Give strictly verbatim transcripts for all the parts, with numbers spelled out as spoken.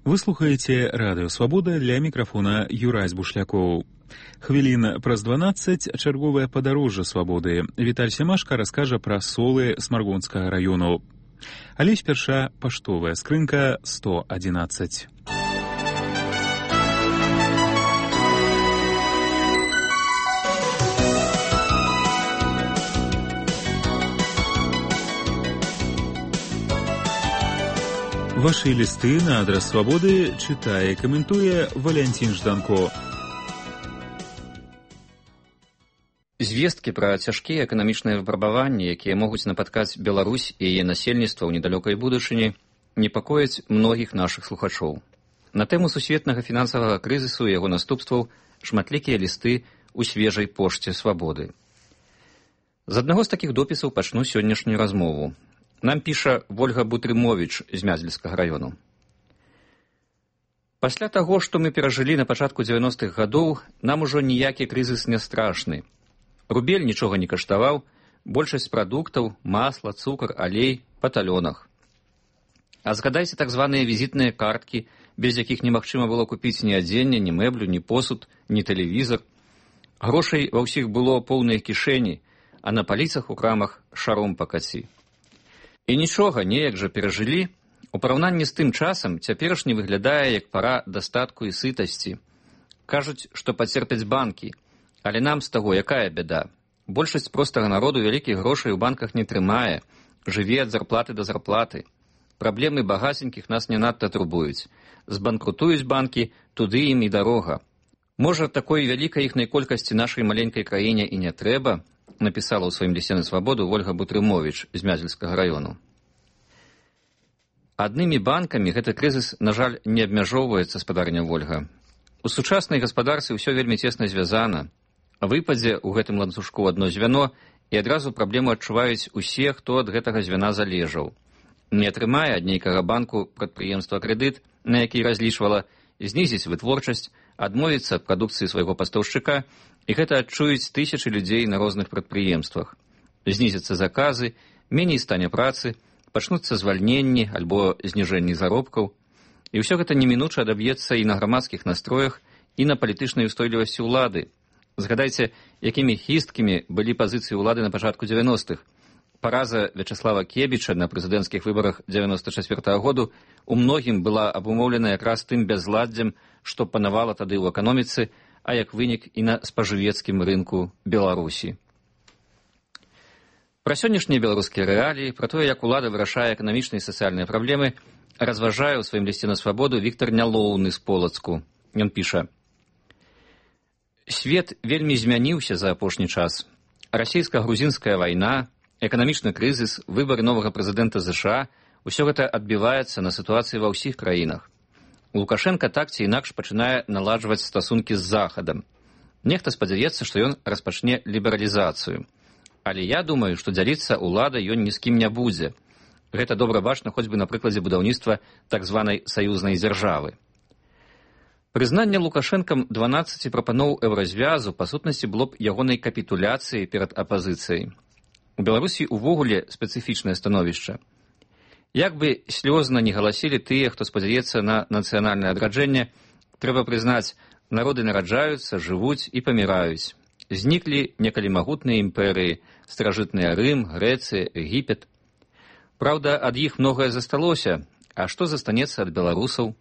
Вы слухаеце радыё «Свабода», ля мікрафона Юрась Бушлякоў. Хвілін праз дванаццаць чарговае падарожжа свабоды. Віталь Семашка раскажа пра солы Смаргонскага раёну. Але спярша паштовая скрынка сто адзінаццаць. Ваши листы на адрес «Свободы» читае и комментуе Валентин Жданко. Звесткі пра цяжкія эканамічныя выпрабаванні, якія могуць напаткаць Беларусь і яе насельніцтва ў недалёкай будучыні, непакояць многіх нашых слухачоў. На тэму сусветнага фінансавага крызісу і яго наступстваў шматлікія лісты ў свежай пошце «Свабоды». З аднаго з такіх допісаў пачну сённяшнюю размову. Нам піша Вольга Бутрымовіч з Мязельскага раёну. Пасля таго, што мы перажылі на пачатку дзевяностых гадоў, нам ужо ніякі крызіс не страшны. Рубель нічога не каштаваў, большасць прадуктаў, масла, цукар, алей па талёнах. А згадайце так званыя візітныя карткі, без якіх немагчыма было купіць ні адзенне, ні мэблю, ні посуд, ні тэлевізор. Грошай ва ўсіх было поўныя кішэні, а на паліцах у крамах шаром пакаці. І нічога, неяк жа перажылі. У параўнанні з тым часам цяперашні выглядае як пара дастатку і сытасці. Кажуць, што пацерпяць банкі, але нам з таго якая бяда? Большасць простага народу вялікіх грошай у банках не трымае, жыве ад зарплаты да зарплаты. Праблемы багаценькіх нас не надта турбуюць. Збанкрутуюць банкі, туды ім і дарога. Можа, такой вялікай іхнай колькасці нашай маленькай краіне і не трэба, напісала ў сваім лісце на «Свабоду» Вольга Бутрымовіч з Мязельскага раёну. Аднымі банкамі гэты крызіс, на жаль, не абмяжоўваецца, спадарня Вольга. У сучаснай гаспадарцы ўсё вельмі цесна звязана. Выпадзе ў гэтым ланцужку адно звяно, і адразу праблему адчуваюць усе, хто ад гэтага звяна залежаў. Не атрымае ад нейкага банку прадпрыемства крэдыт, на які разлічвала, знізіць вытворчасць, адмовіцца ад прадукцыі свайго пастаўшчыка, і гэта адчуюць тысячы людзей на розных прадпрыемствах. Знізяцца заказы, меней стане працы, пачнуцца звальненні альбо зніжэнні заробкаў. І ўсё гэта немінуча адаб'ецца і на грамадскіх настроях, і на палітычнай устойлівасці ўлады. Згадайце, якімі хісткімі былі пазіцыі ўлады на пачатку дзевяностых. Параза Вячаслава Кебіча на прэзідэнцкіх выбарах дзевяноста чацвёртага году у многім была абумоўлена якраз тым бязладдзем, што панавала тады ў эканоміцы, а як вынік і на спажывецкім рынку Беларусі. Пра сённяшнія беларускія рэаліі, пра тое, як улада вырашае эканамічныя і сацыяльныя праблемы, разважае ў сваім лісце на «Свабоду» Віктар Нялоўны з Полацку. Ён піша: «Свет вельмі змяніўся за апошні час. Расійска-грузінская вайна, эканамічны крызіс, выбары новага прэзідэнта ЗША – усё гэта адбіваецца на сітуацыі ва ўсіх краінах. Лукашенка так ці інакш пачынае наладжваць стасункі з Захадам. Нехта спадзяецца, што ён распачне лібералізацыю. Але я думаю, што дзяліцца ўлада ён ні з кім не будзе. Гэта добра бачна хоць бы на прыкладзе будаўніцтва так званай саюзнай дзяржавы. Прызнанне Лукашэнкам дванаццаці прапаноў еўразвязу па сутнасці было б ягонай капітуляцыяй перад апазіцыяй. У Беларусі ўвогуле спецыфічнае становішча. Як бы слёзна не галасілі тыя, хто спадзяецца на нацыянальнае адраджэнне, трэба прызнаць, народы нараджаюцца, жывуць і паміраюць. Зніклі некалі магутныя імперыі, старажытныя Рым, Грэцыя, Егіпет. Праўда, ад іх многае засталося, а што застанецца ад беларусаў?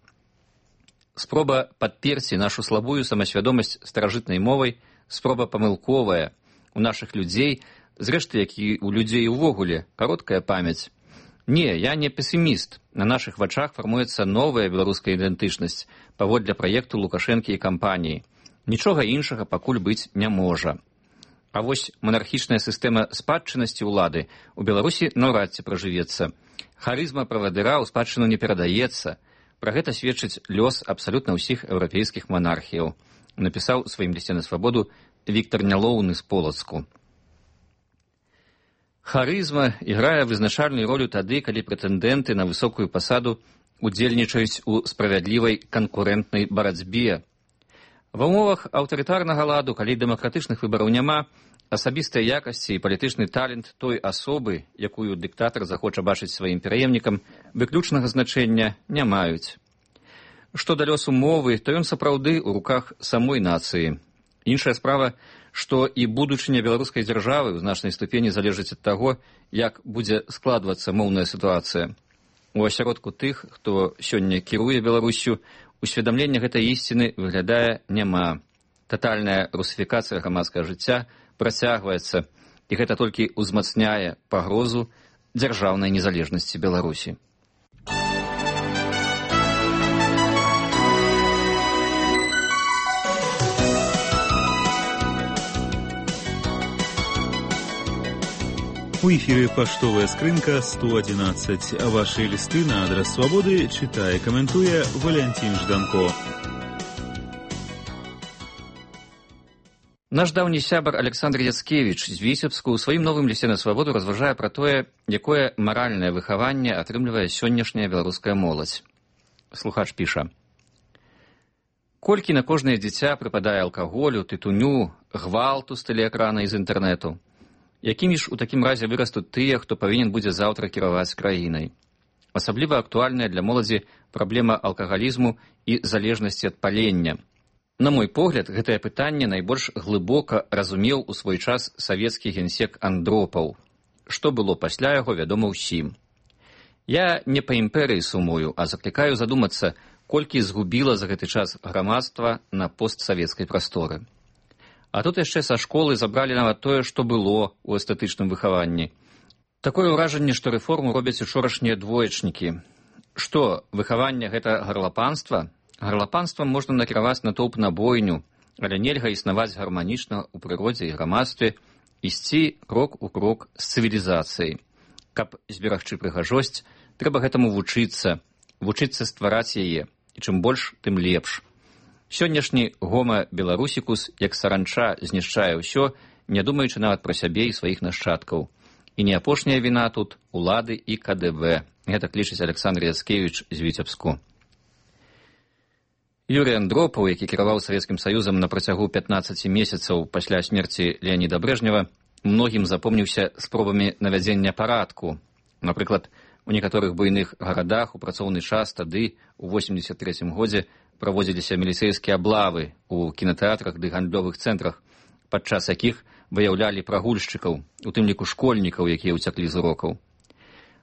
Спроба падперці нашу слабую самасвядомасць старажытнай мовай, спроба памылковая. У нашых людзей, зрэшты, як і у людзей увогуле, кароткая памяць. Не, я не песіміст. На нашых вачах фармуецца новая беларуская ідэнтычнасць паводле праекту Лукашэнкі і кампаніі. Нічога іншага пакуль быць не можа. А вось манархічная сістэма спадчыннасці ўлады у Беларусі наўрад ці пражывецца. Харызма правадыра ў спадчыну не перадаецца. Пра гэта сведчыць лёс абсалютна ўсіх еўрапейскіх манархіяў. Напісаў у сваім лісце на «Свабоду» Віктар Нялоўны з Полацку. Харызма іграе вызначальную ролю тады, калі прэтэндэнты на высокую пасаду удзельнічаюць у справядлівай канкурэнтнай барацьбе. Ва ўмовах аўтарытарнага ладу, калі дэмакратычных выбараў няма, асабістыя якасці і палітычны талент той асобы, якую дыктатар захоча бачыць сваім пераемнікам, выключнага значэння не маюць. Што да лёсу мовы, то ён сапраўды ў руках самой нацыі. Іншая справа, што і будучыня беларускай дзяржавы ў значнай ступені залежыць ад таго, як будзе складвацца моўная сітуацыя. У асяродку тых, хто сёння кіруе Беларусю, усведамлення гэтай ісціны выглядае няма. Татальная русіфікацыя грамадскага жыцця працягваецца, і гэта толькі ўзмацняе пагрозу дзяржаўнай незалежнасці Беларусі. У эфире «Поштовая скрынка» сто одиннадцать. Ваши листы на адрес «Свободы» читая и комментуя Валентин Жданко. Наш даўні сябар Александр Яцкевіч з Віцебску ў сваім новым лісце на свабоду разважае пра тое, якое маральнае выхаванне атрымлівае сённяшняя беларуская моладзь. Слухач піша: «Колькі на кожнае дзіця прыпадае алкаголю, тытуню, гвалту з тэлеэкрана і з інтэрнэту? Якімі ж у такім разе вырастуць тыя, хто павінен будзе заўтра кіраваць краінай? Асабліва актуальная для моладзі праблема алкагалізму і залежнасці ад палення. На мой погляд, гэтае пытанне найбольш глыбока разумеў у свой час савецкі генсек Андропаў. Што было пасля яго, вядома ўсім. Я не па імперыі сумую, а заклікаю задумацца, колькі згубіла за гэты час грамадства на постсавецкай прасторы. А тут яшчэ са школы забралі нават тое, што было ў эстэтычным выхаванні. Такое ўражанне, што рэформу робяць учорашнія двоечнікі. Што, выхаванне гэта гарлапанства? Гарлапанствам можна накіраваць натоўп на бойню, але нельга існаваць гарманічна ў прыродзе і грамадстве, ісці крок у крок з цывілізацыяй. Каб зберагчы прыгажосць, трэба гэтаму вучыцца, вучыцца ствараць яе, і чым больш, тым лепш. Сённяшні гома беларусікус, як саранча, знішчае ўсё, не думаючы нават пра сябе і сваіх нашчадкаў. І не апошняя віна тут улады і ка дэ вэ. Гэтак лічыць Александр Яцкевіч з Віцебску. Юрый Андропаў, які кіраваў Савецкім Саюзам на працягу пятнаццаці месяцаў пасля смерці Леаніда Брэжнева, многім запомніўся спробамі навядзення парадку. Напрыклад, у некаторых буйных гарадах у працоўны час тады, у восемдзесят трэцім годзе, праводзіліся міліцэйскія аблавы ў кінатэатрах ды гандлёвых цэнтрах, падчас якіх выяўлялі прагульшчыкаў, у тым ліку школьнікаў, якія ўцяклі з урокаў.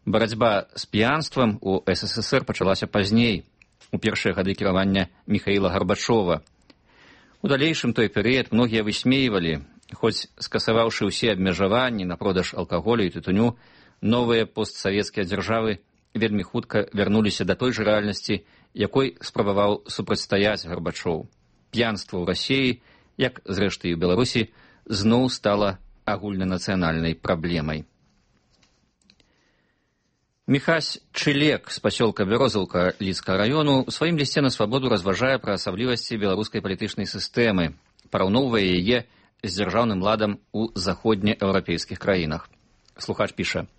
Барацьба з п'янствам у эс эс эс эр пачалася пазней, у першыя гады кіравання Міхаіла Гарбачова. У далейшым той перыяд многія высмейвалі, хоць скасаваўшы ўсе абмежаванні на продаж алкаголю і тытуню, новыя постсавецкія дзяржавы вельмі хутка вярнуліся да той жа рэальнасці, якой спрабаваў супрацьстаяць Гарбачоў. П'янства ў Расіі, як зрэшты і ў Беларусі, зноў стала агульнанацыянальнай праблемай. Міхась Чылек з пасёлка Бярозаўка Лідскага раёну у сваім лісце на свабоду разважае пра асаблівасці беларускай палітычнай сістэмы, параўноўвае яе з дзяржаўным ладам у заходнееўрапейскіх краінах. Слухач піша: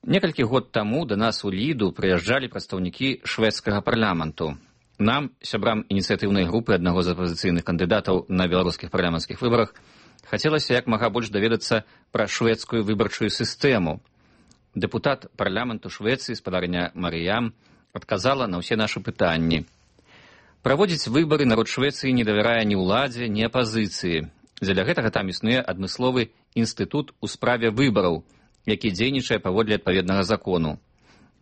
«Некалькі год таму да нас у Ліду прыязджалі прадстаўнікі шведскага парламенту. Нам, сябрам ініцыятыўнай групы аднаго з апазіцыйных кандыдатаў на беларускіх парламенцкіх выбарах, хацелася як мага больш даведацца пра шведскую выбарчую сістэму. Дэпутат парламенту Швецыі, спадарня Марыям, адказала на ўсе нашы пытанні. Праводзіць выбары народ Швецыі не давярае ні ўладзе, ні апазіцыі. Дзеля гэтага там існуе адмысловы інстытут у справе выбараў, які дзейнічае паводле адпаведнага закону.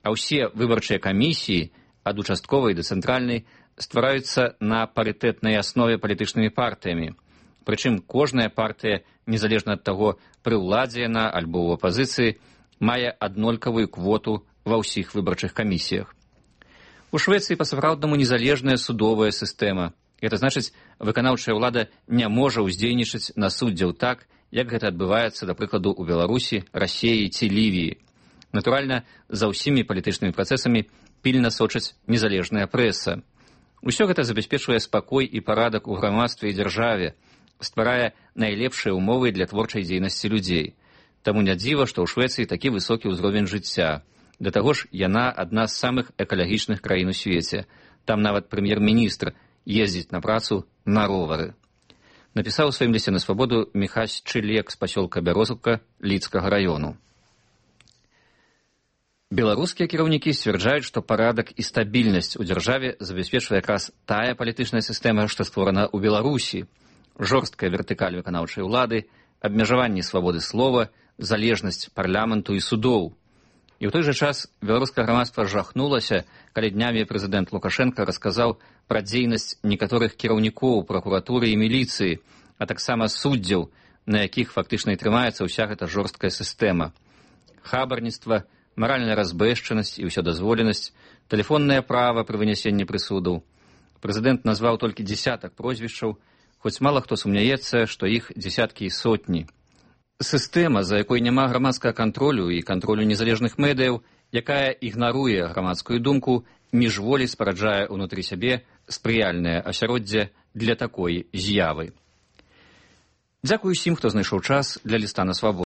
А ўсе выбарчыя камісіі, ад участковай да цэнтральнай, ствараюцца на парытэтнай аснове палітычнымі партыямі. Прычым кожная партыя, незалежна ад таго, пры ўладзе яна альбо ў апазіцыі, мае аднолькавую квоту ва ўсіх выбарчых камісіях. У Швецыі па-сапраўднаму незалежная судовая сістэма. Гэта значыць, выканаўчая ўлада не можа ўздзейнічаць на суддзяў так, як гэта адбываецца, да прыкладу, у Беларусі, Расіі ці Лівіі. Натуральна, за ўсімі палітычнымі працэсамі пільна сочыць незалежная прэса. Усё гэта забяспечвае спакой і парадак у грамадстве і дзяржаве, стварае найлепшыя ўмовы для творчай дзейнасці людзей. Таму не дзіва, што ў Швецыі такі высокі ўзровень жыцця. Да таго ж, яна адна з самых экалагічных краін у свеце. Там нават прэм'ер-міністр ездзіць на працу на ровары. Напісаў у сваім лісце на свабоду Міхась Чылек з пасёлка Бярозаўка Лідскага раёну. Беларускія кіраўнікі сцвярджаюць, што парадак і стабільнасць у дзяржаве забяспечвае якраз тая палітычная сістэма, што створана ў Беларусі. Жорсткая вертыкаль выканаўчай улады, абмежаванне свабоды слова, залежнасць парламенту і судоў. І ў той жа час беларускае грамадства жахнулася, калі днямі прэзідэнт Лукашенка расказаў пра дзейнасць некаторых кіраўнікоў пракуратуры і міліцыі, а таксама суддзяў, на якіх фактычна і трымаецца ўся гэта жорсткая сістэма. Хабарніцтва, маральная разбэшчанасць і ўсёдазволенасць, тэлефоннае права пры вынясенні прысудаў. Прэзідэнт назваў толькі дзесятак прозвішчаў, хоць мала хто сумняецца, што іх дзесяткі і сотні. Сістэма, за якой няма грамадскага кантролю і кантролю незалежных медыяў, якая ігнаруе грамадскую думку, міжволі спараджае ўнутры сябе спрыяльнае асяроддзе для такой з'явы. Дзякую усім, хто знайшоў час для ліста на свабоду.